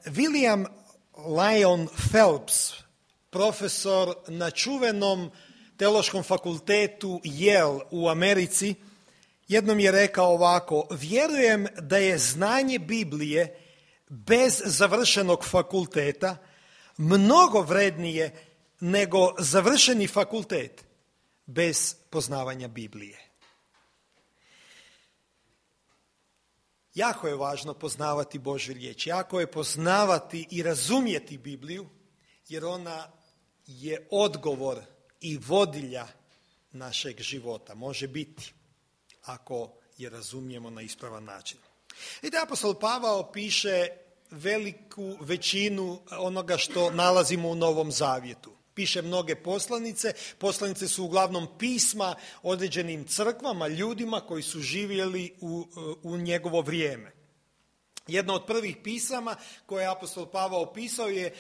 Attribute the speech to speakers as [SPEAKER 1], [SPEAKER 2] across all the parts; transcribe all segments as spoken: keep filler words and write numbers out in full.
[SPEAKER 1] William Lyon Phelps, profesor na čuvenom teološkom fakultetu Yale u Americi, jednom je rekao ovako: vjerujem da je znanje Biblije bez završenog fakulteta mnogo vrednije nego završeni fakultet bez poznavanja Biblije. Jako je važno poznavati Božju riječ, jako je poznavati i razumjeti Bibliju, jer ona je odgovor i vodilja našeg života. Može biti, ako je razumijemo na ispravan način. I da apostol Pavao piše veliku većinu onoga što nalazimo u Novom Zavjetu. Piše mnoge poslanice. Poslanice su uglavnom pisma određenim crkvama, ljudima koji su živjeli u, u njegovo vrijeme. Jedno od prvih pisama koje je apostol Pavao pisao je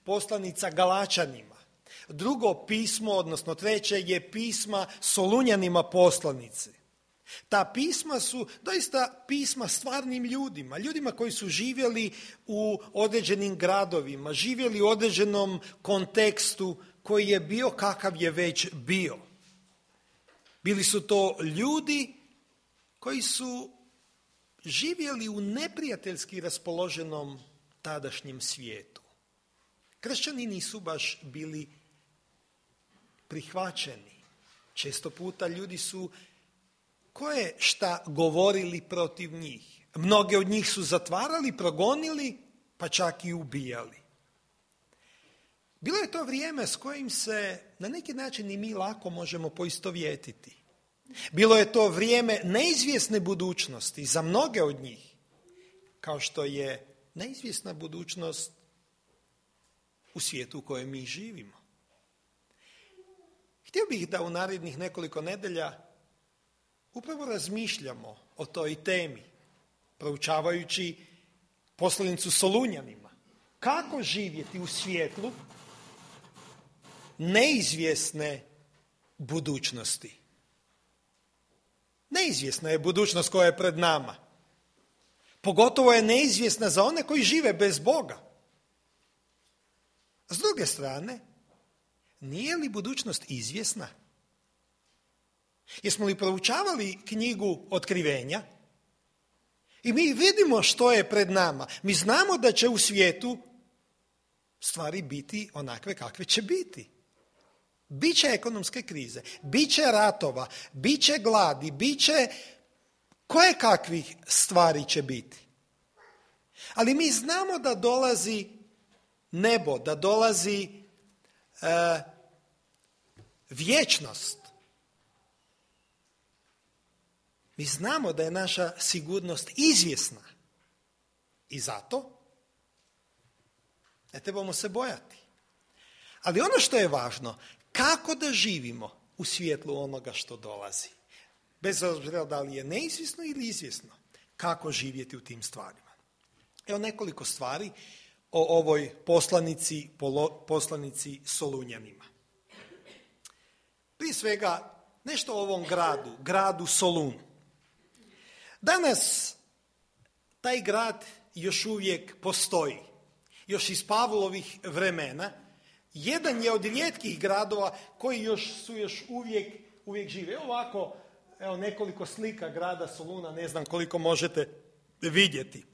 [SPEAKER 1] poslanica Galačanima. Drugo pismo, odnosno treće, je pisma Solunjanima poslanice. Ta pisma su doista pisma stvarnim ljudima, ljudima koji su živjeli u određenim gradovima, živjeli u određenom kontekstu koji je bio kakav je već bio. Bili su to ljudi koji su živjeli u neprijateljski raspoloženom tadašnjem svijetu. Kršćani nisu baš bili prihvaćeni. Često puta ljudi su koje šta govorili protiv njih. Mnoge od njih su zatvarali, progonili, pa čak i ubijali. Bilo je to vrijeme s kojim se na neki način i mi lako možemo poistovjetiti. Bilo je to vrijeme neizvjesne budućnosti za mnoge od njih, kao što je neizvjesna budućnost u svijetu u kojem mi živimo. Htio bih da u narednih nekoliko nedelja upravo razmišljamo o toj temi, proučavajući poslanicu Solunjanima. Kako živjeti u svijetlu neizvjesne budućnosti? Neizvjesna je budućnost koja je pred nama. Pogotovo je neizvjesna za one koji žive bez Boga. S druge strane, nije li budućnost izvjesna? Jesmo li proučavali knjigu Otkrivenja? I mi vidimo što je pred nama. Mi znamo da će u svijetu stvari biti onakve kakve će biti. Biće ekonomske krize, biće ratova, biće gladi, biće koje kakvih stvari će biti. Ali mi znamo da dolazi nebo, da dolazi e, vječnost. Mi znamo da je naša sigurnost izvjesna i zato ne trebamo se bojati. Ali ono što je važno, kako da živimo u svjetlu onoga što dolazi. Bez obzira da li je neizvjesno ili izvjesno, kako živjeti u tim stvarima. Evo nekoliko stvari o ovoj poslanici, poslanici Solunjanima. Prije svega, nešto o ovom gradu, gradu Solunu. Danas taj grad još uvijek postoji. Još iz Pavlovih vremena. Jedan je od rijetkih gradova koji još su još uvijek, uvijek žive. Evo ovako, evo nekoliko slika grada Soluna, ne znam koliko možete vidjeti. E,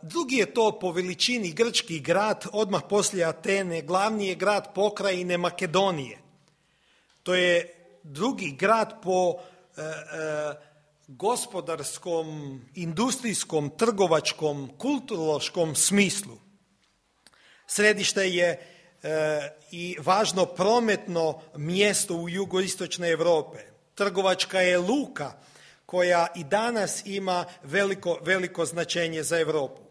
[SPEAKER 1] drugi je to po veličini grčki grad, odmah poslije Atene, glavni je grad pokrajine Makedonije. To je drugi grad po e, e, gospodarskom, industrijskom, trgovačkom, kulturološkom smislu. Središte je e, i važno prometno mjesto u jugoistočnoj Europe. Trgovačka je luka koja i danas ima veliko, veliko značenje za Europu.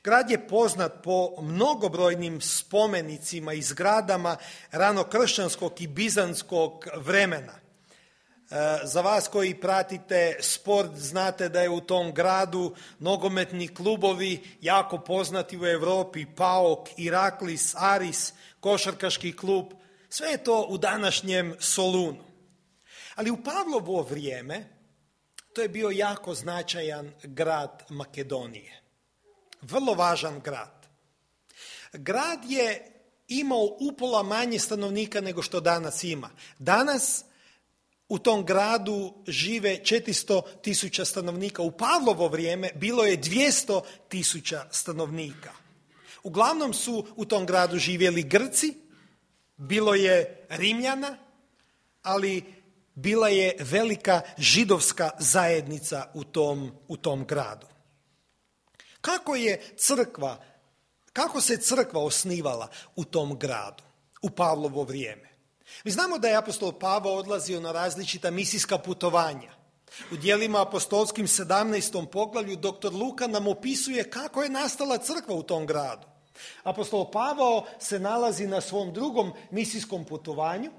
[SPEAKER 1] Grad je poznat po mnogobrojnim spomenicima i zgradama ranokršćanskog i bizantskog vremena. Za vas koji pratite sport, znate da je u tom gradu nogometni klubovi jako poznati u Europi, PAOK, Iraklis, Aris, košarkaški klub, sve je to u današnjem Solunu. Ali u Pavlovo vrijeme to je bio jako značajan grad Makedonije. Vrlo važan grad. Grad je imao upola manje stanovnika nego što danas ima. Danas u tom gradu žive četiristo tisuća stanovnika. U Pavlovo vrijeme bilo je dvjesto tisuća stanovnika. Uglavnom su u tom gradu živjeli Grci, bilo je Rimljana, ali bila je velika židovska zajednica u tom, u tom gradu. Kako je crkva, kako se crkva osnivala u tom gradu, u Pavlovo vrijeme? Mi znamo da je apostol Pavao odlazio na različita misijska putovanja. U djelima apostolskim sedamnaestom poglavlju doktor Luka nam opisuje kako je nastala crkva u tom gradu. Apostol Pavao se nalazi na svom drugom misijskom putovanju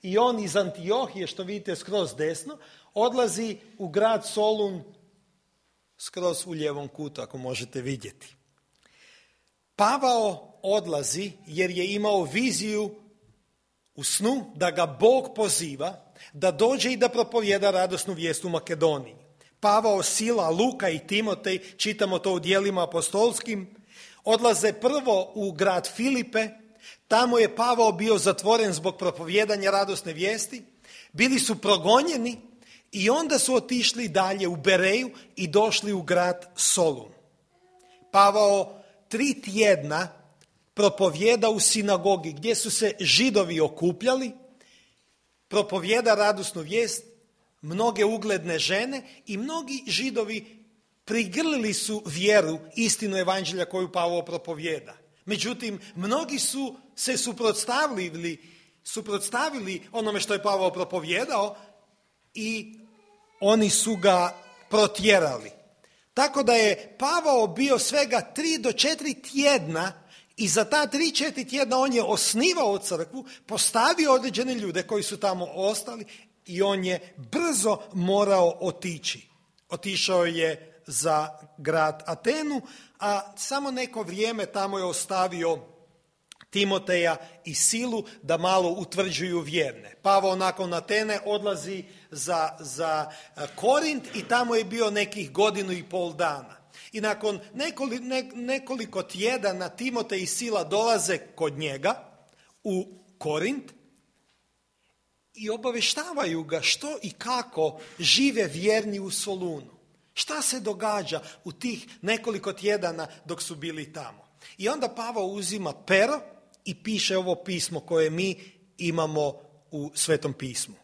[SPEAKER 1] i on iz Antiohije, što vidite skroz desno, odlazi u grad Solun, skroz u lijevom kutu, ako možete vidjeti. Pavao odlazi jer je imao viziju u snu da ga Bog poziva da dođe i da propovjeda radosnu vijest u Makedoniji. Pavao, Sila, Luka i Timotej, čitamo to u djelima apostolskim, odlaze prvo u grad Filipe. Tamo je Pavao bio zatvoren zbog propovjedanja radosne vijesti. Bili su progonjeni i onda su otišli dalje u Bereju i došli u grad Solun. Pavao tri tjedna propovjeda u sinagogi gdje su se Židovi okupljali, propovjeda radosnu vijest, mnoge ugledne žene i mnogi Židovi prigrlili su vjeru, istinu evanđelja koju Pavao propovjeda. Međutim, mnogi su se suprotstavili, suprotstavili onome što je Pavao propovjedao i oni su ga protjerali. Tako da je Pavao bio svega tri do četiri tjedna i za ta tri, četiri tjedna on je osnivao crkvu, postavio određene ljude koji su tamo ostali i on je brzo morao otići. Otišao je za grad Atenu, a samo neko vrijeme tamo je ostavio Timoteja i Silu da malo utvrđuju vjerne. Pavao nakon Atene odlazi za, za Korint i tamo je bio nekih godinu i pol dana. I nakon nekoliko, nekoliko tjedana Timotej i Sila dolaze kod njega u Korint i obaveštavaju ga što i kako žive vjerni u Solunu. Šta se događa u tih nekoliko tjedana dok su bili tamo? I onda Pavao uzima pero i piše ovo pismo koje mi imamo u Svetom pismu.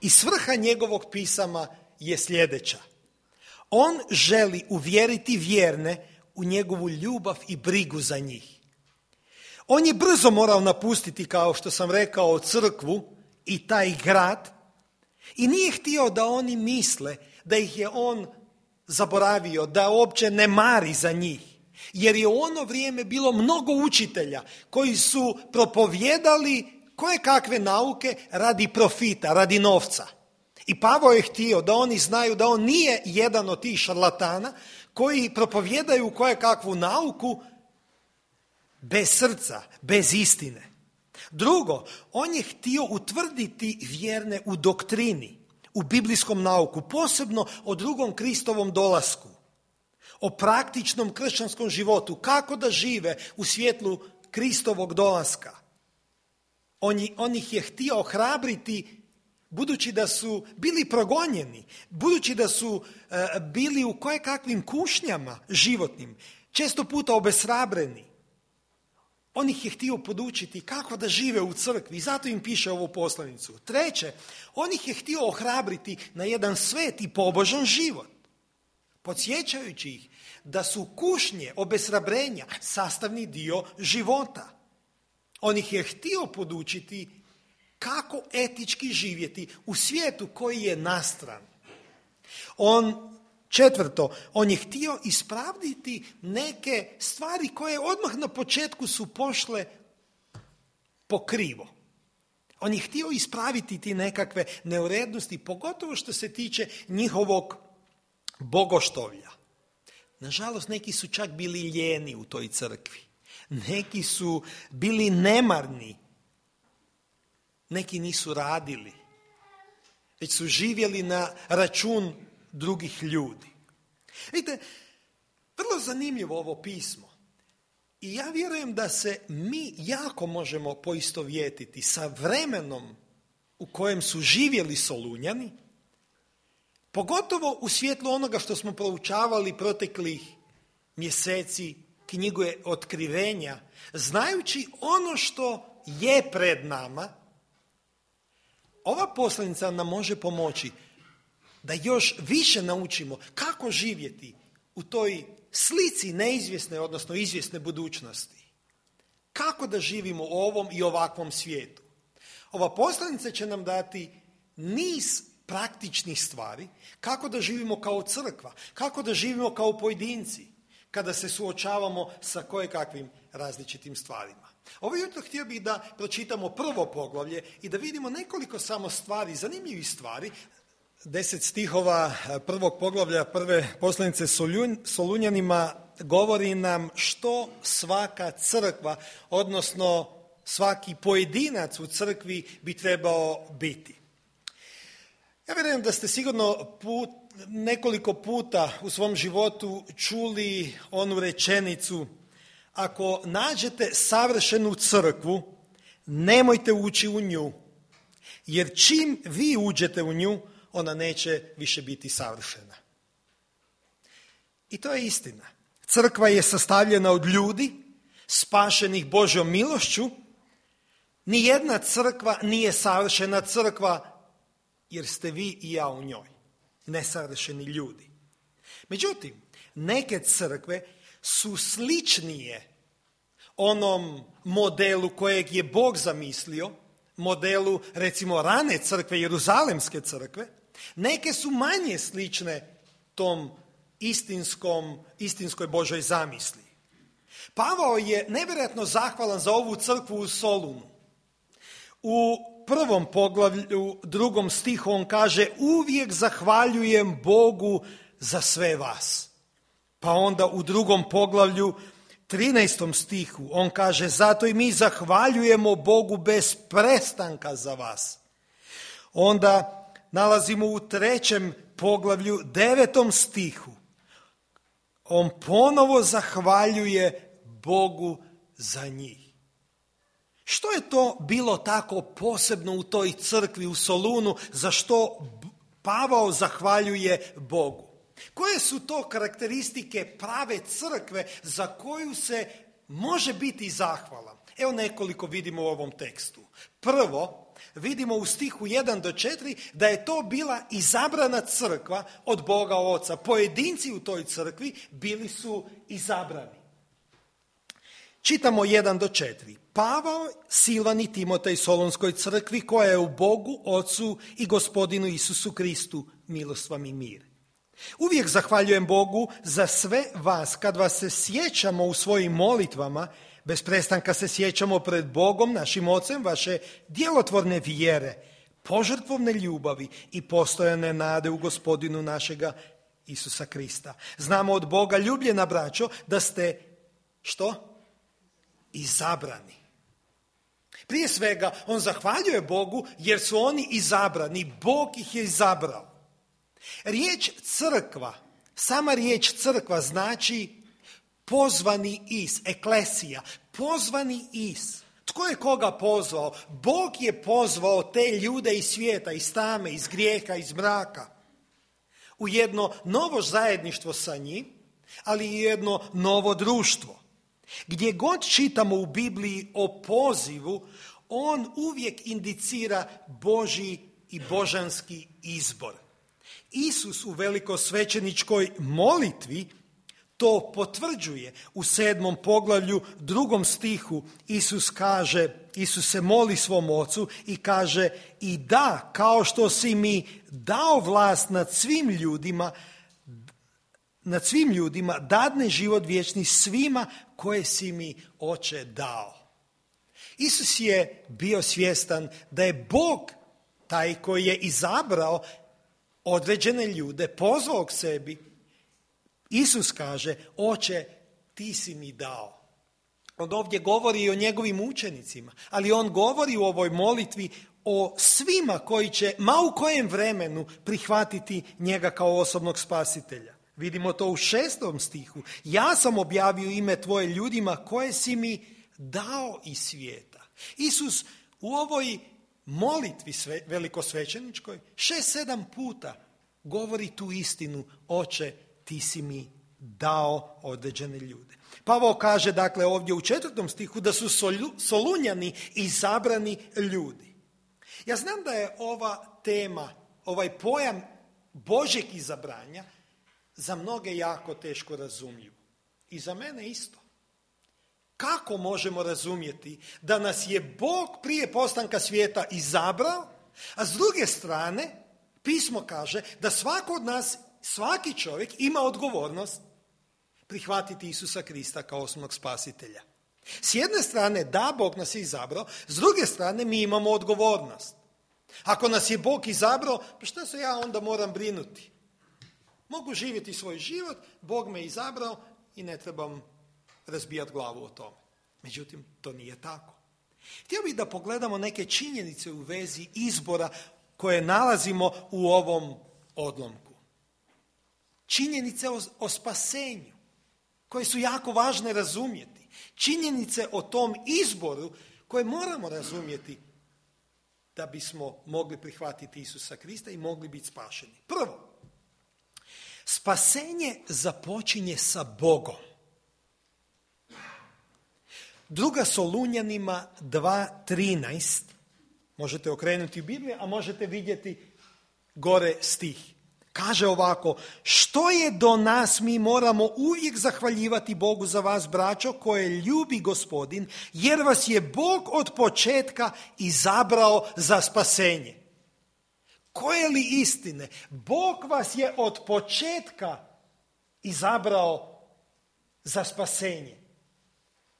[SPEAKER 1] I svrha njegovog pisama je sljedeća. On želi uvjeriti vjerne u njegovu ljubav i brigu za njih. On je brzo morao napustiti, kao što sam rekao, crkvu i taj grad i nije htio da oni misle da ih je on zaboravio, da uopće ne mari za njih. Jer je u ono vrijeme bilo mnogo učitelja koji su propovjedali koje kakve nauke radi profita, radi novca. I Pavao je htio da oni znaju da on nije jedan od tih šarlatana koji propovjedaju koje kakvu nauku bez srca, bez istine. Drugo, on je htio utvrditi vjerne u doktrini, u biblijskom nauku, posebno o drugom Kristovom dolasku, o praktičnom kršćanskom životu, kako da žive u svjetlu Kristovog dolaska. On, on ih je htio ohrabriti budući da su bili progonjeni, budući da su e, bili u kojekakvim kušnjama životnim, često puta obeshrabreni. On ih je htio podučiti kako da žive u crkvi i zato im piše ovu poslanicu. Treće, on ih je htio ohrabriti na jedan svet i pobožan život, podsjećajući ih da su kušnje, obeshrabrenja sastavni dio života. On ih je htio podučiti kako etički živjeti u svijetu koji je nastran. On, četvrto, on je htio ispraviti neke stvari koje odmah na početku su pošle pokrivo. On je htio ispraviti ti nekakve neurednosti, pogotovo što se tiče njihovog bogoštovlja. Nažalost, neki su čak bili lijeni u toj crkvi. Neki su bili nemarni. Neki nisu radili, već su živjeli na račun drugih ljudi. Vidite, Vrlo zanimljivo ovo pismo. I ja vjerujem da se mi jako možemo poistovjetiti sa vremenom u kojem su živjeli Solunjani, pogotovo u svjetlu onoga što smo proučavali proteklih mjeseci, knjigu je Otkrivenja, znajući ono što je pred nama. Ova poslanica nam može pomoći da još više naučimo kako živjeti u toj slici neizvjesne, odnosno izvjesne budućnosti. Kako da živimo u ovom i ovakvom svijetu. Ova poslanica će nam dati niz praktičnih stvari, kako da živimo kao crkva, kako da živimo kao pojedinci, kada se suočavamo sa kojekakvim različitim stvarima. Ovo jutro htio bih da pročitamo prvo poglavlje i da vidimo nekoliko samo stvari, zanimljivih stvari. Deset stihova prvog poglavlja prve poslanice Solunjanima govori nam što svaka crkva, odnosno svaki pojedinac u crkvi bi trebao biti. Ja vjerujem da ste sigurno put, nekoliko puta u svom životu čuli onu rečenicu: ako nađete savršenu crkvu, nemojte ući u nju, jer čim vi uđete u nju, ona neće više biti savršena. I to je istina. Crkva je sastavljena od ljudi, spašenih Božjom milošću. Nijedna crkva nije savršena crkva, jer ste vi i ja u njoj, nesavršeni ljudi. Međutim, neke crkve su sličnije onom modelu kojeg je Bog zamislio, modelu recimo rane crkve, Jeruzalemske crkve. Neke su manje slične tom istinskom, istinskoj Božoj zamisli. Pavao je nevjerojatno zahvalan za ovu crkvu u Solunu. U prvom poglavlju, drugom stihu, on kaže: uvijek zahvaljujem Bogu za sve vas. Pa onda u drugom poglavlju, trinaestom stihu, on kaže: zato i mi zahvaljujemo Bogu bez prestanka za vas. Onda nalazimo u trećem poglavlju, devetom stihu, on ponovo zahvaljuje Bogu za njih. Što je to bilo tako posebno u toj crkvi u Solunu, za što Pavao zahvaljuje Bogu? Koje su to karakteristike prave crkve za koju se može biti zahvalan? Evo nekoliko vidimo u ovom tekstu. Prvo, vidimo u stihu jedan do četiri da je to bila izabrana crkva od Boga Oca. Pojedinci u toj crkvi bili su izabrani. Čitamo jedan do četiri. Pavao, Silvan i Timotej Solunskoj crkvi koja je u Bogu, Ocu i Gospodinu Isusu Kristu, milost vam i mir. Uvijek zahvaljujem Bogu za sve vas kad vas se sjećamo u svojim molitvama, bez prestanka se sjećamo pred Bogom, našim Ocem, vaše djelotvorne vjere, požrtvovne ljubavi i postojane nade u Gospodinu našega Isusa Krista. Znamo od Boga, ljubljena braćo, da ste, što? Izabrani. Prije svega, on zahvaljuje Bogu jer su oni izabrani, Bog ih je izabrao. Riječ crkva, sama riječ crkva znači pozvani iz, eklesija, pozvani iz. Tko je koga pozvao? Bog je pozvao te ljude iz svijeta, iz tame, iz grijeha, iz mraka, u jedno novo zajedništvo sa njim, ali i jedno novo društvo. Gdje god čitamo u Bibliji o pozivu, on uvijek indicira Božji i božanski izbor. Isus u velikosvećeničkoj molitvi to potvrđuje. U sedmom poglavlju, drugom stihu, Isus kaže, Isus se moli svom Ocu i kaže: i da, kao što si mi dao vlast nad svim ljudima, nad svim ljudima, dadne život vječni svima koje si mi, Oče, dao. Isus je bio svjestan da je Bog taj koji je izabrao određene ljude, pozvao k sebi. Isus kaže: Oče, ti si mi dao. On ovdje govori i o njegovim učenicima, ali on govori u ovoj molitvi o svima koji će, ma u kojem vremenu, prihvatiti njega kao osobnog spasitelja. Vidimo to u šestom stihu. Ja sam objavio ime tvoje ljudima koje si mi dao iz svijeta. Isus u ovoj molitvi sve, velikosvećeničkoj šest, sedam puta govori tu istinu. Oče, ti si mi dao određene ljude. Pavao kaže dakle ovdje u četvrtom stihu da su Solunjani izabrani ljudi. Ja znam da je ova tema, ovaj pojam Božjeg izabranja za mnoge jako teško razumljiv. I za mene isto. Kako možemo razumjeti da nas je Bog prije postanka svijeta izabrao, a s druge strane pismo kaže da svako od nas, svaki čovjek ima odgovornost prihvatiti Isusa Krista kao osnovnog spasitelja. S jedne strane, da, Bog nas je izabrao, s druge strane mi imamo odgovornost. Ako nas je Bog izabrao, pa što se ja onda moram brinuti? Mogu živjeti svoj život, Bog me izabrao i ne trebam razbijati glavu o tome. Međutim, to nije tako. Htio bih da pogledamo neke činjenice u vezi izbora koje nalazimo u ovom odlomku. Činjenice o, o spasenju, koje su jako važne razumjeti. Činjenice o tom izboru koje moramo razumjeti da bismo mogli prihvatiti Isusa Krista i mogli biti spašeni. Prvo, spasenje započinje sa Bogom. Druga Solunjanima dva trinaest, možete okrenuti Bibliju, a možete vidjeti gore stih. Kaže ovako, što je do nas, mi moramo uvijek zahvaljivati Bogu za vas, braćo, koje ljubi Gospodin, jer vas je Bog od početka izabrao za spasenje. Koje li istine? Bog vas je od početka izabrao za spasenje,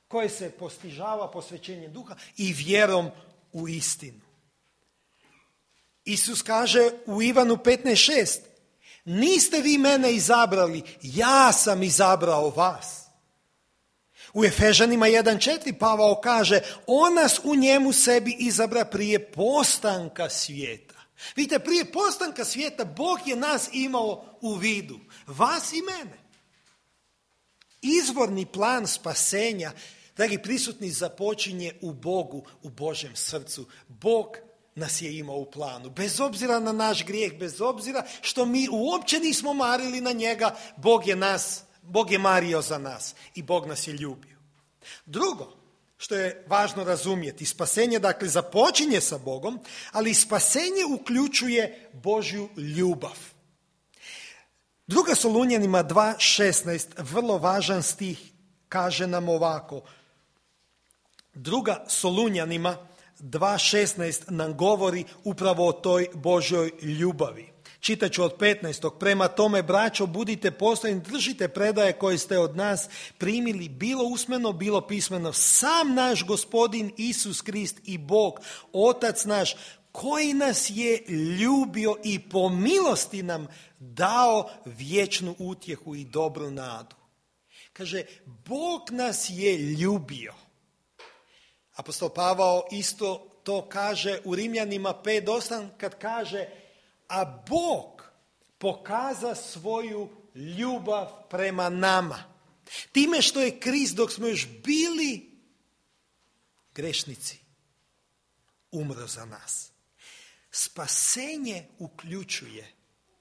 [SPEAKER 1] koje se postižava posvećenjem duha i vjerom u istinu. Isus kaže u Ivanu petnaest šest, niste vi mene izabrali, ja sam izabrao vas. U Efežanima jedan četiri Pavao kaže, on nas u njemu sebi izabra prije postanka svijeta. Vidite, prije postanka svijeta Bog je nas imao u vidu, vas i mene. Izvorni plan spasenja, dragi prisutni, započinje u Bogu, u Božjem srcu. Bog nas je imao u planu. Bez obzira na naš grijeh, bez obzira što mi uopće nismo marili na njega, Bog je nas, Bog je mario za nas i Bog nas je ljubio. Drugo, što je važno razumjeti, spasenje dakle započinje sa Bogom, ali spasenje uključuje Božju ljubav. Druga Solunjanima dva šesnaest, vrlo važan stih, kaže nam ovako. Druga Solunjanima dva šesnaest nam govori upravo o toj Božjoj ljubavi. Čitat ću od petnaestog. Prema tome, braćo, budite postojni, držite predaje koje ste od nas primili, bilo usmeno, bilo pismeno. Sam naš Gospodin Isus Krist i Bog, Otac naš, koji nas je ljubio i po milosti nam dao vječnu utjehu i dobru nadu. Kaže, Bog nas je ljubio. Apostol Pavao isto to kaže u Rimljanima pet osam kad kaže, a Bog pokaza svoju ljubav prema nama. Time što je Krist, dok smo još bili grešnici, umro za nas. Spasenje uključuje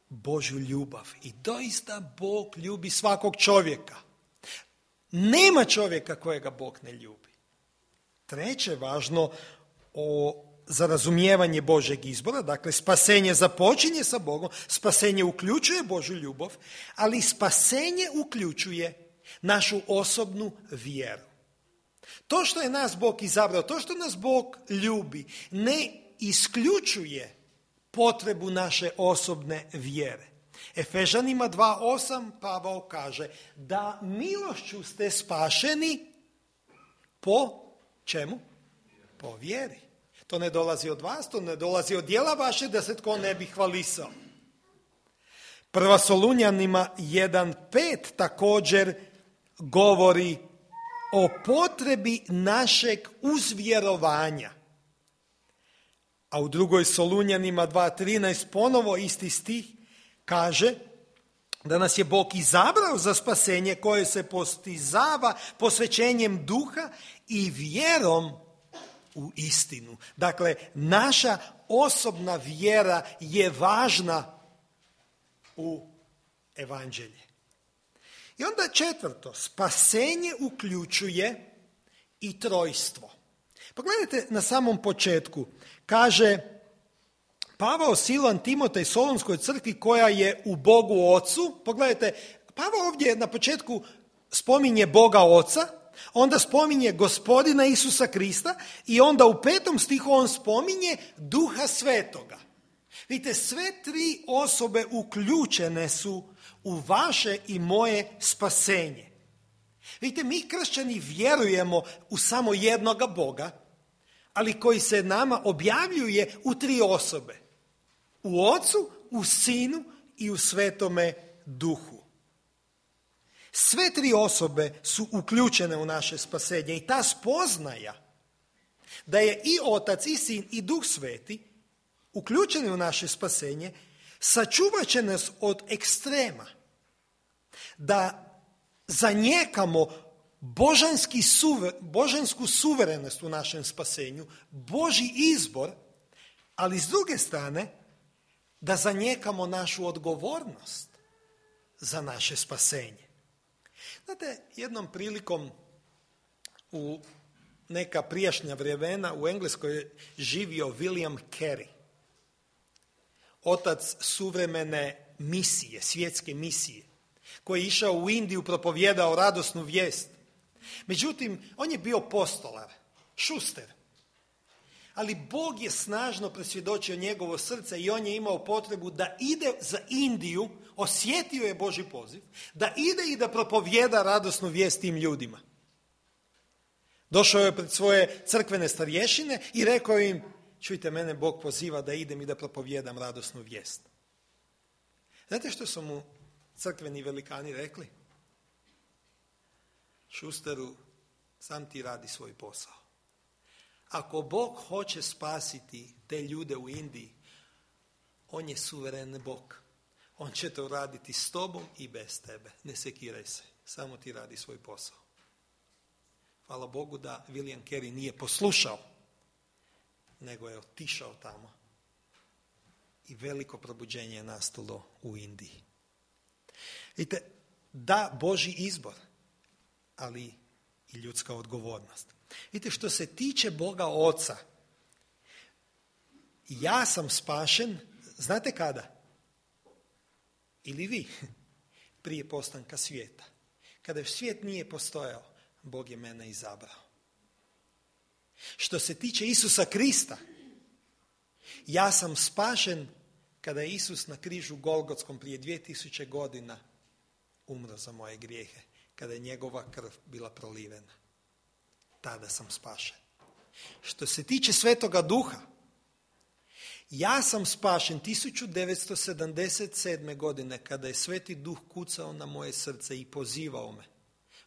[SPEAKER 1] Božju ljubav i doista Bog ljubi svakog čovjeka. Nema čovjeka kojega Bog ne ljubi. Treće, važno o, za razumijevanje Božjeg izbora, dakle spasenje započinje sa Bogom, spasenje uključuje Božju ljubav, ali spasenje uključuje našu osobnu vjeru. To što je nas Bog izabrao, to što nas Bog ljubi, ne isključuje potrebu naše osobne vjere. Efežanima dva osam Pavao kaže da milošću ste spašeni po čemu? Po vjeri. To ne dolazi od vas, to ne dolazi od djela vaše da se tko ne bi hvalisao. Prva Solunjanima jedan pet također govori o potrebi našeg uzvjerovanja. A u drugoj Solunjanima dva trinaest ponovo isti stih kaže, da nas je Bog izabrao za spasenje koje se postizava posvećenjem duha i vjerom u istinu. Dakle, naša osobna vjera je važna u evanđelje. I onda četvrto, spasenje uključuje i trojstvo. Pogledajte na samom početku, kaže Pavao, Silan, Timotej, Solunskoj crkvi koja je u Bogu Ocu. Pogledajte, Pavao ovdje na početku spominje Boga Oca, onda spominje Gospodina Isusa Krista i onda u petom stihu on spominje Duha Svetoga. Vidite, sve tri osobe uključene su u vaše i moje spasenje. Vidite, mi kršćani vjerujemo u samo jednoga Boga, ali koji se nama objavljuje u tri osobe. U Ocu, u Sinu i u Svetome Duhu. Sve tri osobe su uključene u naše spasenje i ta spoznaja da je i Otac, i Sin, i Duh Sveti uključeni u naše spasenje, sačuvat će nas od ekstrema. Da zanijekamo božanski suver, božansku suverenost u našem spasenju, Božji izbor, ali s druge strane da zanijekamo našu odgovornost za naše spasenje. Znate, jednom prilikom u neka prijašnja vremena u Engleskoj je živio William Carey, otac suvremene misije, svjetske misije, koji je išao u Indiju, propovijedao radosnu vijest. Međutim, on je bio postolar, šuster. Ali Bog je snažno presvjedočio njegovo srce i on je imao potrebu da ide za Indiju, osjetio je Božji poziv, da ide i da propovijeda radosnu vijest tim ljudima. Došao je pred svoje crkvene starješine i rekao im, čujte, mene Bog poziva da idem i da propovijedam radosnu vijest. Znate što su mu crkveni velikani rekli? Šusteru, sam ti radi svoj posao. Ako Bog hoće spasiti te ljude u Indiji, on je suveren Bog. On će to raditi s tobom i bez tebe. Ne sekiraj se, samo ti radi svoj posao. Hvala Bogu da William Carey nije poslušao, nego je otišao tamo. I veliko probuđenje je nastalo u Indiji. Vidite, da, Božji izbor, ali i ljudska odgovornost. Vidite, što se tiče Boga Oca, ja sam spašen, znate kada? Ili vi? Prije postanka svijeta. Kada svijet nije postojao, Bog je mene izabrao. Što se tiče Isusa Krista, ja sam spašen kada je Isus na križu Golgotskom prije dvije tisuće godina umro za moje grijehe, kada je njegova krv bila prolivena. Tada sam spašen. Što se tiče Svetoga Duha, ja sam spašen tisuću devetsto sedamdeset sedme. godine kada je Sveti Duh kucao na moje srce i pozivao me.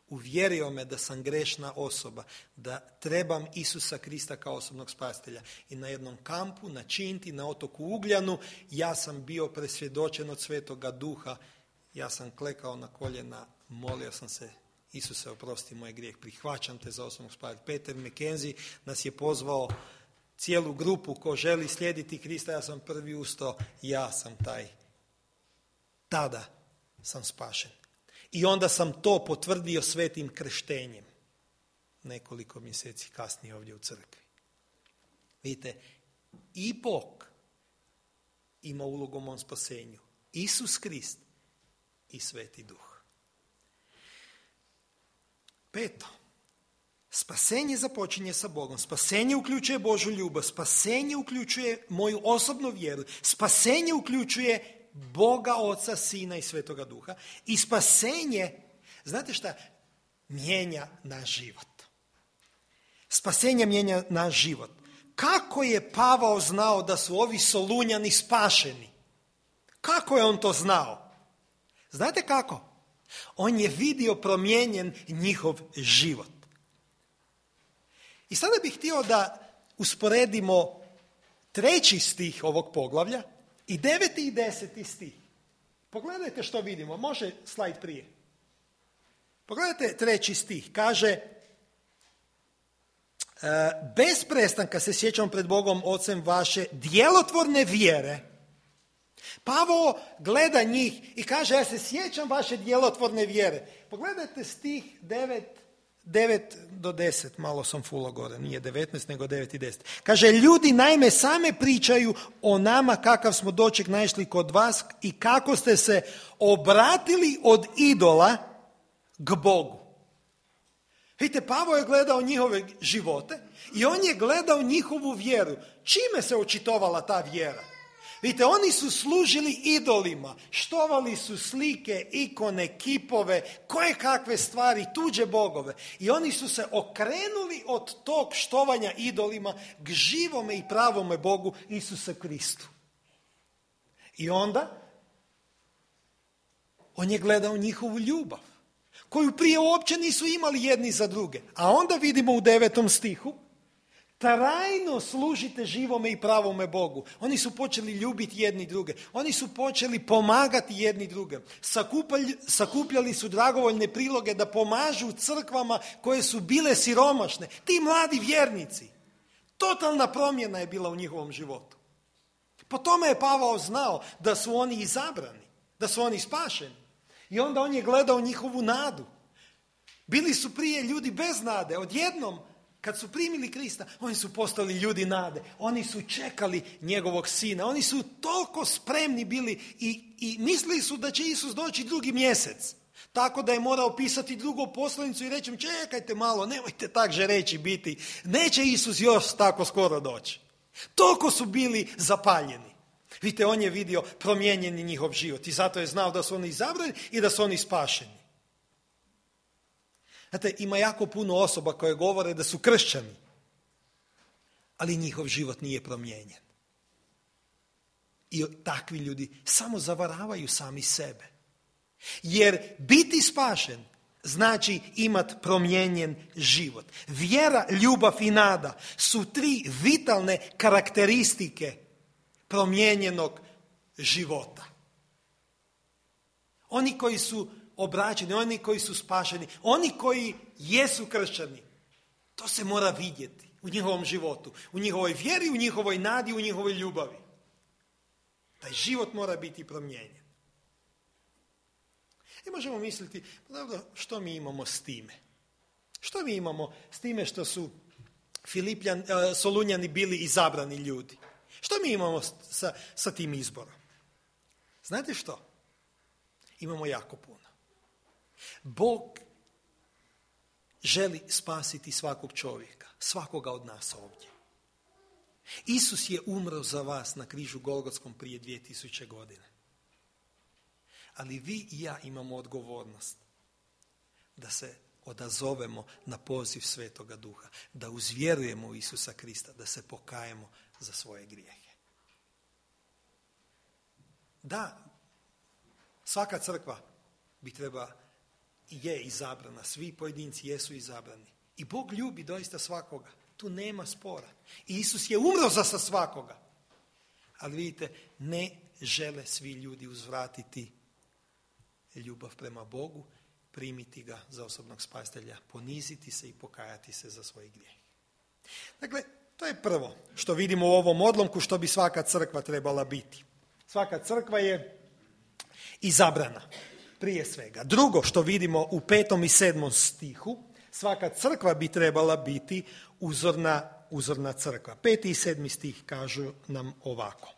[SPEAKER 1] Uvjerio me da sam grešna osoba, da trebam Isusa Krista kao osobnog spasitelja. I na jednom kampu, na Činti, na otoku Ugljanu, ja sam bio presvjedočen od Svetoga Duha. Ja sam klekao na koljena, molio sam se, Isuse, oprosti moj grijeh, prihvaćam te za osobnog spasitelja. Peter McKenzie nas je pozvao cijelu grupu ko želi slijediti Krista, ja sam prvi ustao, ja sam taj. Tada sam spašen. I onda sam to potvrdio svetim krštenjem. Nekoliko mjeseci kasnije ovdje u crkvi. Vidite, i Bog ima ulogu u mom spasenju. Isus Krist i Sveti Duh. Peto. Spasenje započinje sa Bogom. Spasenje uključuje Božju ljubav. Spasenje uključuje moju osobnu vjeru. Spasenje uključuje Boga, Oca, Sina i Svetoga Duha. I spasenje, znate šta, mijenja naš život. Spasenje mijenja naš život. Kako je Pavao znao da su ovi Solunjani spašeni? Kako je on to znao? Znate kako? On je vidio promijenjen njihov život. I sada bih htio da usporedimo treći stih ovog poglavlja i deveti i deseti stih. Pogledajte što vidimo. Može slajd prije. Pogledajte treći stih. Kaže, bez prestanka se sjećam pred Bogom Ocem vaše djelotvorne vjere. Pavao gleda njih i kaže, ja se sjećam vaše djelotvorne vjere. Pogledajte stih devet do deset, malo sam fulo gore, nije devetnaest nego devet i deset. Kaže, ljudi naime same pričaju o nama kakav smo doček naišli kod vas i kako ste se obratili od idola k Bogu. Vidite, Pavao je gledao njihove živote i on je gledao njihovu vjeru. Čime se očitovala ta vjera? Vidite, oni su služili idolima, štovali su slike, ikone, kipove, koje kakve stvari, tuđe bogove. I oni su se okrenuli od tog štovanja idolima k živome i pravome Bogu Isusu Kristu. I onda on je gledao njihovu ljubav, koju prije uopće nisu imali jedni za druge. A onda vidimo u devetom stihu, trajno služite živome i pravome Bogu. Oni su počeli ljubiti jedni druge. Oni su počeli pomagati jedni druge. Sakupljali, sakupljali su dragovoljne priloge da pomažu crkvama koje su bile siromašne. Ti mladi vjernici. Totalna promjena je bila u njihovom životu. Po tome je Pavao znao da su oni izabrani, da su oni spašeni. I onda on je gledao njihovu nadu. Bili su prije ljudi bez nade. Odjednom, kad su primili Krista, oni su postali ljudi nade. Oni su čekali njegovog sina. Oni su toliko spremni bili i, i mislili su da će Isus doći drugi mjesec. Tako da je morao pisati drugu poslanicu i reći, čekajte malo, nemojte tak žereći biti. Neće Isus još tako skoro doći. Toliko su bili zapaljeni. Vidite, on je vidio promijenjeni njihov život i zato je znao da su oni izabrani i da su oni spašeni. Znate, ima jako puno osoba koje govore da su kršćani, ali njihov život nije promijenjen. I takvi ljudi samo zavaravaju sami sebe. Jer biti spašen znači imati promijenjen život. Vjera, ljubav i nada su tri vitalne karakteristike promijenjenog života. Oni koji su obraćeni, oni koji su spašeni, oni koji jesu kršćani, to se mora vidjeti u njihovom životu, u njihovoj vjeri, u njihovoj nadi, u njihovoj ljubavi. Taj život mora biti promijenjen. I možemo misliti, pa dobro, što mi imamo s time? Što mi imamo s time što su Filipljan, Solunjani bili izabrani ljudi? Što mi imamo sa, sa tim izborom? Znate što? Imamo jako puno. Bog želi spasiti svakog čovjeka, svakoga od nas ovdje. Isus je umro za vas na križu Golgotskom prije dvije tisuće godine. Ali vi i ja imamo odgovornost da se odazovemo na poziv Svetoga Duha, da uzvjerujemo u Isusa Krista, da se pokajemo za svoje grijehe. Da, svaka crkva bi treba i je izabrana, svi pojedinci jesu izabrani. I Bog ljubi doista svakoga, tu nema spora. I Isus je umro za svakoga. Ali vidite, ne žele svi ljudi uzvratiti ljubav prema Bogu, primiti ga za osobnog spasitelja, poniziti se i pokajati se za svoje grijehe. Dakle, to je prvo što vidimo u ovom odlomku što bi svaka crkva trebala biti. Svaka crkva je izabrana, prije svega. Drugo što vidimo u petom i sedmom stihu, svaka crkva bi trebala biti uzorna, uzorna crkva. Peti i sedmi stih kažu nam ovako.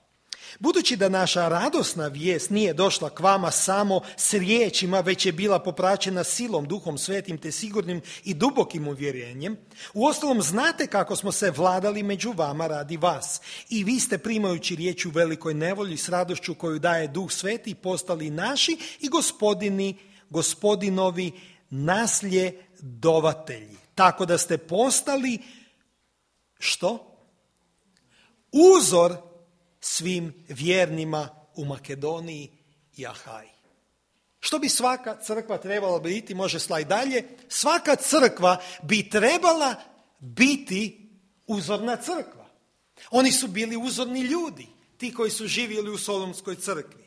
[SPEAKER 1] Budući da naša radosna vijest nije došla k vama samo s riječima, već je bila popraćena silom, Duhom Svetim te sigurnim i dubokim uvjerenjem, uostalom znate kako smo se vladali među vama radi vas. I vi ste primajući riječ u velikoj nevolji s radošću koju daje Duh Sveti postali naši i gospodini, gospodinovi nasljedovatelji. Tako da ste postali što? Uzor svim vjernima u Makedoniji i Ahaji. Što bi svaka crkva trebala biti, može slajd dalje, svaka crkva bi trebala biti uzorna crkva. Oni su bili uzorni ljudi, ti koji su živjeli u Solunskoj crkvi.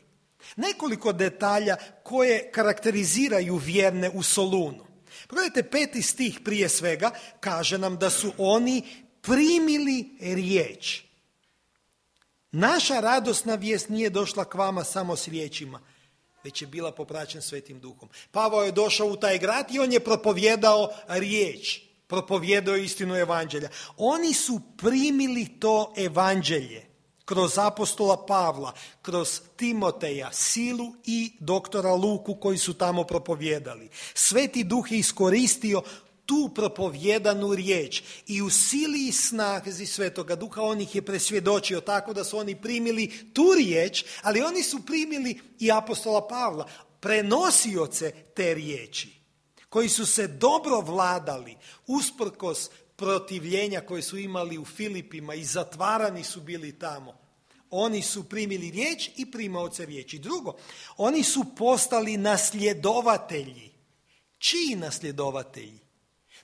[SPEAKER 1] Nekoliko detalja koje karakteriziraju vjerne u Solunu. Pogledajte, peti stih prije svega kaže nam da su oni primili riječ. Naša radosna vijest nije došla k vama samo s riječima, već je bila popraćen Svetim Duhom. Pavao je došao u taj grad i on je propovjedao riječ, propovjedao istinu evanđelja. Oni su primili to evanđelje kroz apostola Pavla, kroz Timoteja, Silu i doktora Luku koji su tamo propovjedali. Sveti Duh je iskoristio tu propovjedanu riječ i u sili i snazi Svetoga Duha on ih je presvjedočio tako da su oni primili tu riječ, ali oni su primili i apostola Pavla, prenosioce te riječi, koji su se dobro vladali usprkos protivljenja koje su imali u Filipima i zatvarani su bili tamo. Oni su primili riječ i primaoce riječi. Drugo, oni su postali nasljedovatelji. Čiji nasljedovatelji?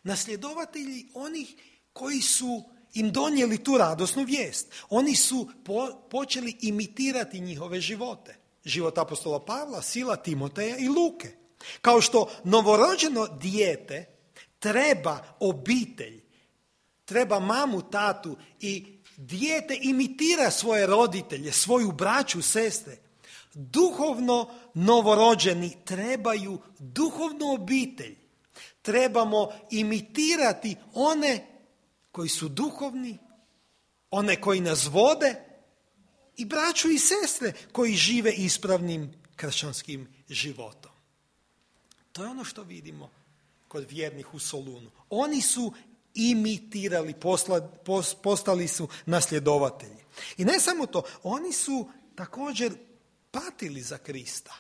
[SPEAKER 1] Nasljedovatelji onih koji su im donijeli tu radosnu vijest. Oni su po, počeli imitirati njihove živote. Život apostola Pavla, Sila, Timoteja i Luke. Kao što novorođeno dijete treba obitelj, treba mamu, tatu i dijete imitira svoje roditelje, svoju braću, sestre. Duhovno novorođeni trebaju duhovnu obitelj. Trebamo imitirati one koji su duhovni, one koji nas vode i braću i sestre koji žive ispravnim kršćanskim životom. To je ono što vidimo kod vjernih u Solunu. Oni su imitirali, posla, pos, postali su nasljedovatelji. I ne samo to, oni su također patili za Krista.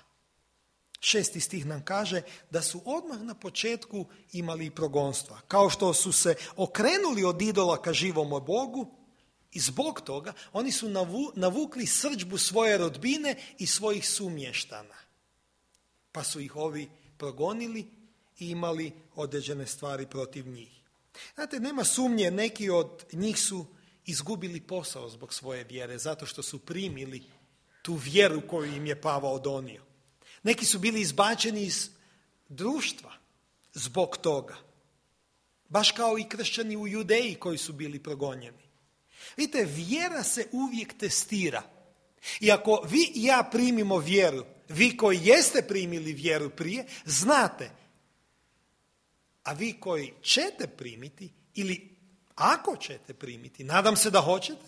[SPEAKER 1] Šesti stih nam kaže da su odmah na početku imali progonstva. Kao što su se okrenuli od idola ka živomu Bogu i zbog toga oni su navu, navukli srdžbu svoje rodbine i svojih sumještana. Pa su ih ovi progonili i imali određene stvari protiv njih. Znate, nema sumnje, neki od njih su izgubili posao zbog svoje vjere, zato što su primili tu vjeru koju im je Pavao donio. Neki su bili izbačeni iz društva zbog toga. Baš kao i kršćani u Judeji koji su bili progonjeni. Vidite, vjera se uvijek testira. I ako vi i ja primimo vjeru, vi koji jeste primili vjeru prije, znate, a vi koji ćete primiti, ili ako ćete primiti, nadam se da hoćete,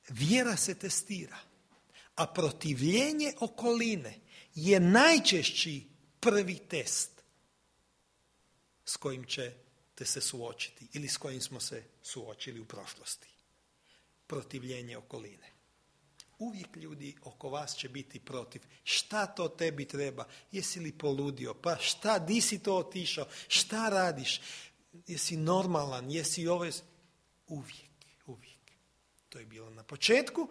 [SPEAKER 1] vjera se testira. A protivljenje okoline je najčešći prvi test s kojim ćete se suočiti ili s kojim smo se suočili u prošlosti. Protivljenje okoline. Uvijek ljudi oko vas će biti protiv. Šta to tebi treba? Jesi li poludio? Pa šta, di si to otišao? Šta radiš? Jesi normalan? Jesi ovo? Uvijek, uvijek. To je bilo na početku,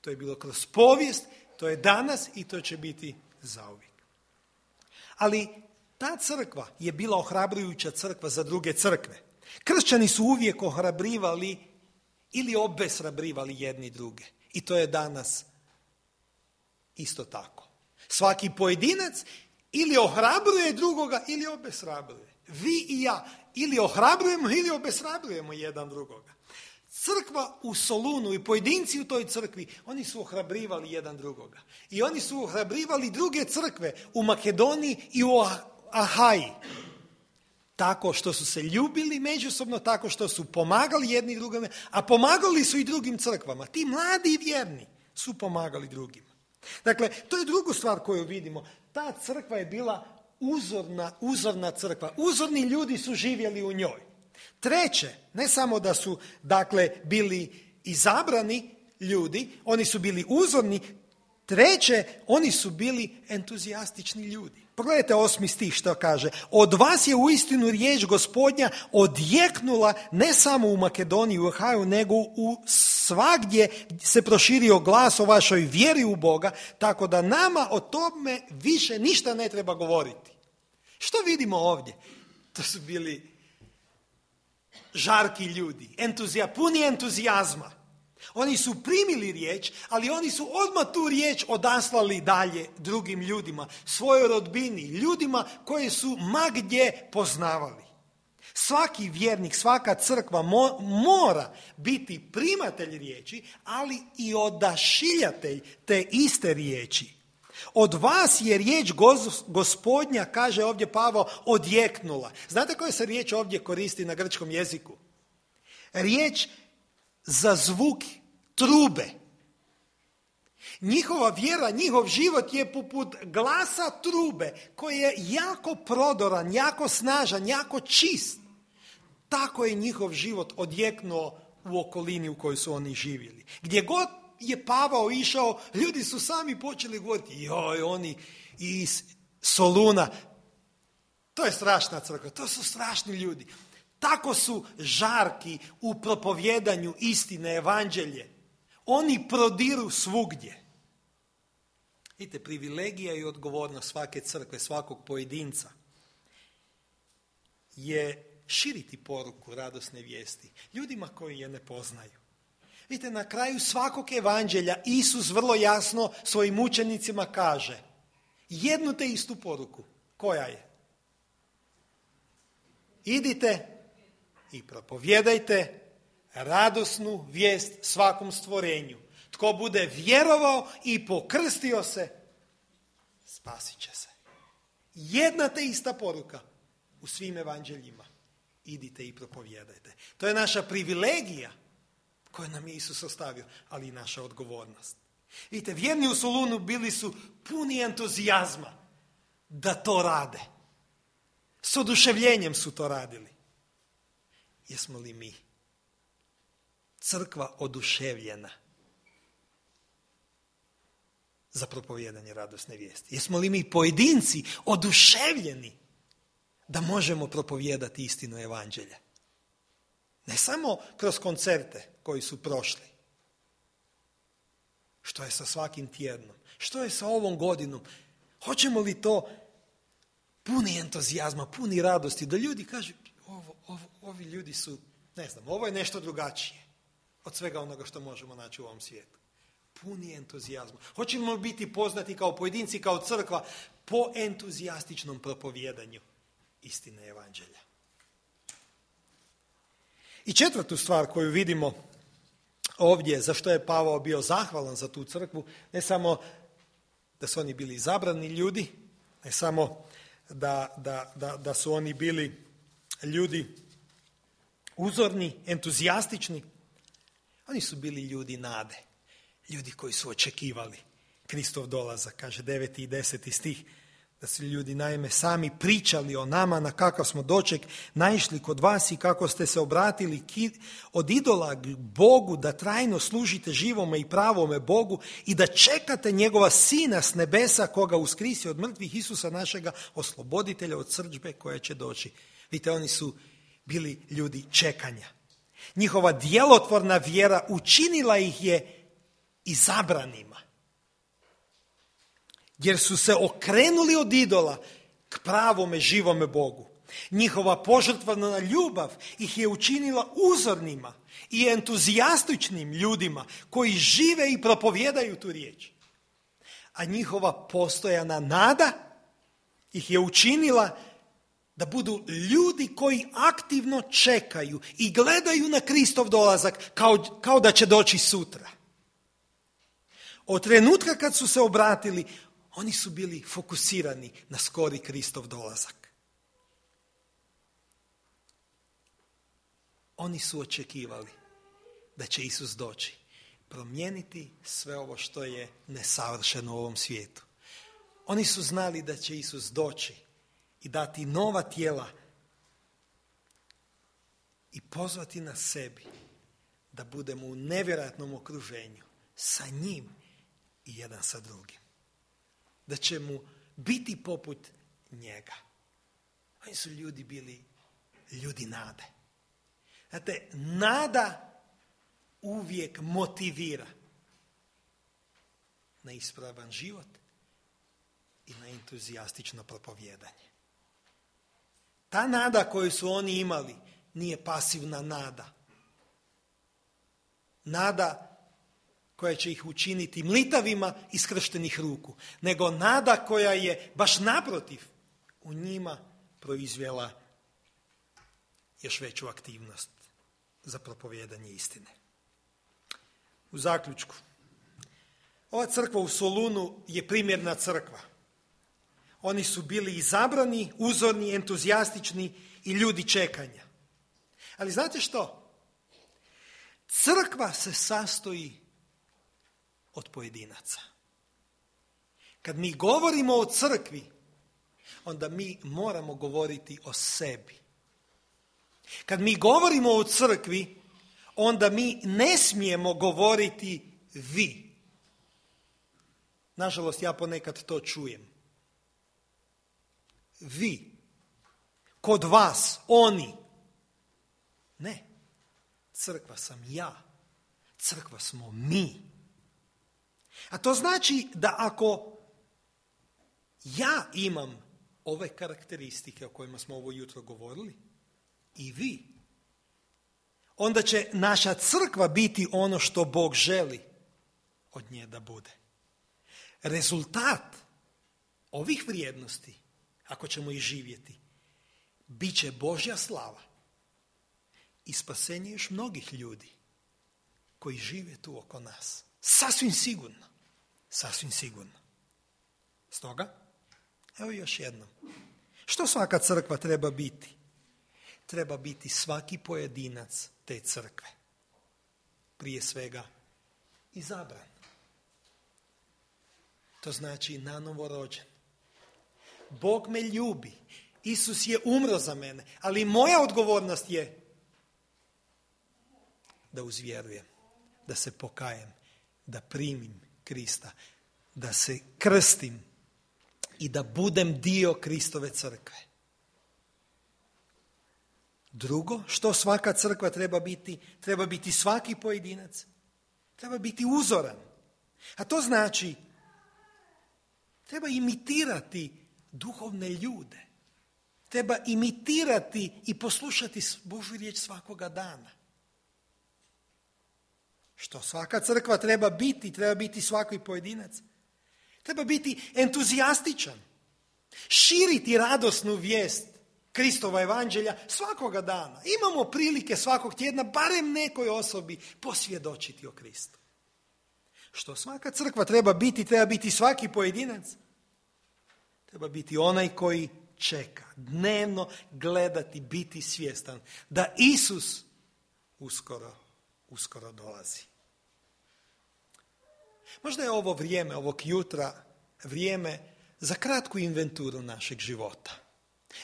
[SPEAKER 1] to je bilo kroz povijest, to je danas i to će biti zauvijek. Ali ta crkva je bila ohrabrujuća crkva za druge crkve. Kršćani su uvijek ohrabrivali ili obeshrabrivali jedni druge. I to je danas isto tako. Svaki pojedinac ili ohrabruje drugoga ili obeshrabruje. Vi i ja ili ohrabrujemo ili obeshrabrujemo jedan drugoga. Crkva u Solunu i pojedinci u toj crkvi, oni su ohrabrivali jedan drugoga. I oni su ohrabrivali druge crkve u Makedoniji i u Ahaji. Tako što su se ljubili međusobno, tako što su pomagali jedni drugima, a pomagali su i drugim crkvama. Ti mladi i vjerni su pomagali drugima. Dakle, to je drugu stvar koju vidimo. Ta crkva je bila uzorna, uzorna crkva. Uzorni ljudi su živjeli u njoj. Treće, ne samo da su, dakle, bili izabrani ljudi, oni su bili uzorni. Treće, oni su bili entuzijastični ljudi. Pogledajte osmi stih što kaže. Od vas je uistinu riječ Gospodnja odjeknula ne samo u Makedoniji, u Ahaju, nego u svagdje se proširio glas o vašoj vjeri u Boga, tako da nama o tome više ništa ne treba govoriti. Što vidimo ovdje? To su bili žarki ljudi, entuzija, puni entuzijazma. Oni su primili riječ, ali oni su odmah tu riječ odaslali dalje drugim ljudima, svojoj rodbini, ljudima koje su ma gdje poznavali. Svaki vjernik, svaka crkva mo, mora biti primatelj riječi, ali i odašiljatelj te iste riječi. Od vas je riječ Gospodnja, kaže ovdje Pavao, odjeknula. Znate koja se riječ ovdje koristi na grčkom jeziku? Riječ za zvuk trube. Njihova vjera, njihov život je poput glasa trube koji je jako prodoran, jako snažan, jako čist. Tako je njihov život odjeknuo u okolini u kojoj su oni živjeli. Gdje god je Pavao išao, ljudi su sami počeli govoriti, joj, oni iz Soluna, to je strašna crkva, to su strašni ljudi. Tako su žarki u propovjedanju istine, evanđelje. Oni prodiru svugdje. Vidite, privilegija i odgovornost svake crkve, svakog pojedinca je širiti poruku radosne vijesti ljudima koji je ne poznaju. Vidite, na kraju svakog evanđelja Isus vrlo jasno svojim učenicima kaže jednu te istu poruku. Koja je? Idite i propovjedajte radosnu vijest svakom stvorenju. Tko bude vjerovao i pokrstio se, spasit će se. Jedna te ista poruka u svim evanđeljima. Idite i propovjedajte. To je naša privilegija koju nam je Isus ostavio, ali i naša odgovornost. Vidite, vjerni u Solunu bili su puni entuzijazma da to rade. S oduševljenjem su to radili. Jesmo li mi crkva oduševljena za propovijedanje radosne vijesti? Jesmo li mi pojedinci oduševljeni da možemo propovijedati istinu evanđelja? Ne samo kroz koncerte koji su prošli. Što je sa svakim tjednom? Što je sa ovom godinom? Hoćemo li to puni entuzijazma, puni radosti, da ljudi kažu, ovo, ovo, ovi ljudi su, ne znam, ovo je nešto drugačije od svega onoga što možemo naći u ovom svijetu. Puni entuzijazma. Hoćemo li biti poznati kao pojedinci, kao crkva, po entuzijastičnom propovijedanju istine evanđelja? I četvrtu stvar koju vidimo ovdje, za što je Pavao bio zahvalan za tu crkvu, ne samo da su oni bili izabrani ljudi, ne samo da, da, da, da su oni bili ljudi uzorni, entuzijastični, oni su bili ljudi nade, ljudi koji su očekivali Kristov dolazak, kaže deveti i deseti stih, da su ljudi naime sami pričali o nama, na kakav smo doček naišli kod vas i kako ste se obratili od idola Bogu da trajno služite živome i pravome Bogu i da čekate njegova sina s nebesa koga uskrisi od mrtvih, Isusa našega osloboditelja od srdžbe koja će doći. Vidite, oni su bili ljudi čekanja. Njihova djelotvorna vjera učinila ih je izabranima. Jer su se okrenuli od idola k pravome živome Bogu. Njihova požrtvovna ljubav ih je učinila uzornima i entuzijastičnim ljudima koji žive i propovijedaju tu riječ. A njihova postojana nada ih je učinila da budu ljudi koji aktivno čekaju i gledaju na Kristov dolazak kao, kao da će doći sutra. Od trenutka kad su se obratili, oni su bili fokusirani na skori Kristov dolazak. Oni su očekivali da će Isus doći, promijeniti sve ovo što je nesavršeno u ovom svijetu. Oni su znali da će Isus doći i dati nova tijela i pozvati nas sebi da budemo u nevjerojatnom okruženju sa njim i jedan sa drugim. Da će mu biti poput njega. Oni su ljudi bili ljudi nade. Znate, nada uvijek motivira na ispravan život i na entuzijastično propovijedanje. Ta nada koju su oni imali nije pasivna nada, nada koja će ih učiniti mlitavima iskrštenih ruku, nego nada koja je baš naprotiv u njima proizvela još veću aktivnost za propovijedanje istine. U zaključku, ova crkva u Solunu je primjerna crkva. Oni su bili izabrani, uzorni, entuzijastični i ljudi čekanja. Ali znate što? Crkva se sastoji od pojedinaca. Kad mi govorimo o crkvi, onda mi moramo govoriti o sebi. Kad mi govorimo o crkvi, onda mi ne smijemo govoriti vi. Nažalost, ja ponekad to čujem. Vi. Kod vas. Oni. Ne. Crkva sam ja. Crkva smo mi. A to znači da ako ja imam ove karakteristike o kojima smo ovo jutro govorili, i vi, onda će naša crkva biti ono što Bog želi od nje da bude. Rezultat ovih vrijednosti, ako ćemo ih živjeti, bit će Božja slava i spasenje još mnogih ljudi koji žive tu oko nas. Sasvim sigurno. Sasvim sigurno. Stoga, evo još jednom. Što svaka crkva treba biti? Treba biti svaki pojedinac te crkve. Prije svega izabran. To znači nanovo rođen. Bog me ljubi. Isus je umro za mene. Ali moja odgovornost je da uzvjerujem, da se pokajem, da primim Krista, da se krstim i da budem dio Kristove crkve. Drugo, što svaka crkva treba biti? Treba biti svaki pojedinac. Treba biti uzoran. A to znači, treba imitirati duhovne ljude. Treba imitirati i poslušati Božju riječ svakoga dana. Što svaka crkva treba biti? Treba biti svaki pojedinac. Treba biti entuzijastičan. Širiti radosnu vijest Kristova evanđelja svakoga dana. Imamo prilike svakog tjedna barem nekoj osobi posvjedočiti o Kristu. Što svaka crkva treba biti? Treba biti svaki pojedinac. Treba biti onaj koji čeka, dnevno gledati, biti svjestan da Isus uskoro, uskoro dolazi. Možda je ovo vrijeme, ovog jutra, vrijeme za kratku inventuru našeg života.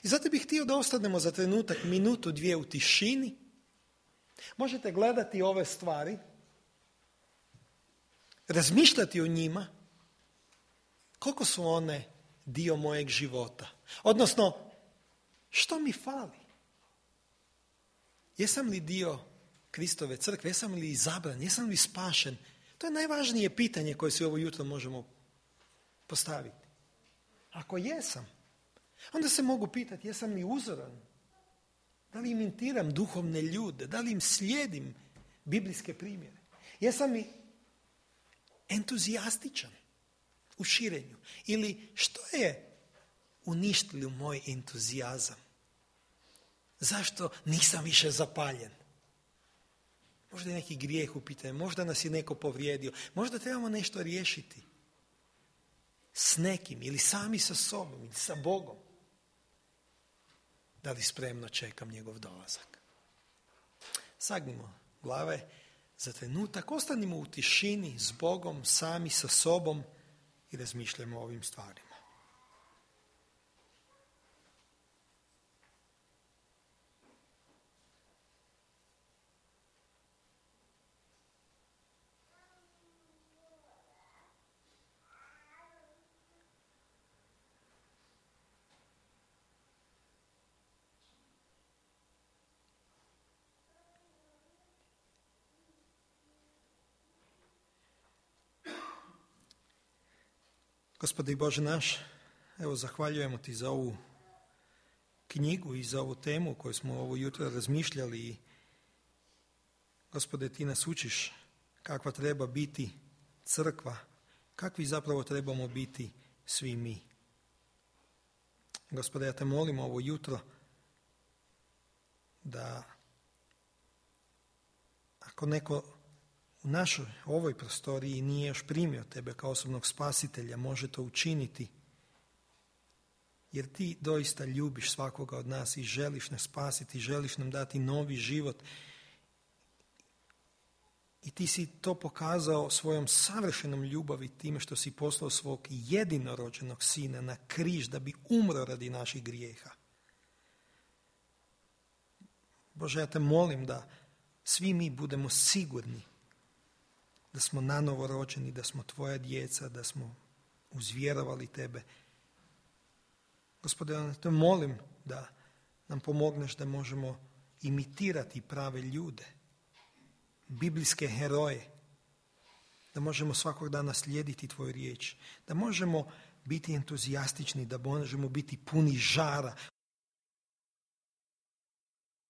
[SPEAKER 1] I zato bih htio da ostanemo za trenutak, minutu, dvije u tišini. Možete gledati ove stvari, razmišljati o njima, koliko su one dio mojeg života. Odnosno, što mi fali? Jesam li dio Kristove crkve? Jesam li izabran? Jesam li spašen? To je najvažnije pitanje koje se ovo jutro možemo postaviti. Ako jesam, onda se mogu pitati jesam li uzoran? Da li imitiram duhovne ljude? Da li im slijedim biblijske primjere? Jesam li entuzijastičan u širenju? Ili što je uništilo moj entuzijazam? Zašto nisam više zapaljen? Možda je neki grijeh u pitanju, možda nas je neko povrijedio, možda trebamo nešto riješiti s nekim ili sami sa sobom ili sa Bogom. Da li spremno čekam njegov dolazak? Sagnimo glave za trenutak, ostanimo u tišini s Bogom, sami sa sobom i razmišljamo o ovim stvarima. Gospode i Bože naš, evo zahvaljujemo Ti za ovu knjigu i za ovu temu koju smo ovo jutro razmišljali. I Gospode, Ti nas učiš kakva treba biti crkva, kakvi zapravo trebamo biti svi mi. Gospode, ja te molim ovo jutro da ako neko u našoj ovoj prostoriji nije još primio tebe kao osobnog spasitelja, može to učiniti, jer ti doista ljubiš svakoga od nas i želiš nas spasiti, želiš nam dati novi život. I ti si to pokazao svojom savršenom ljubavi time što si poslao svog jedinorođenog sina na križ da bi umro radi naših grijeha. Bože, ja te molim da svi mi budemo sigurni da smo nanovo rođeni, da smo tvoja djeca, da smo uzvjerovali tebe. Gospode, ja te molim da nam pomogneš da možemo imitirati prave ljude, biblijske heroje, da možemo svakog dana slijediti tvoju riječ, da možemo biti entuzijastični, da možemo biti puni žara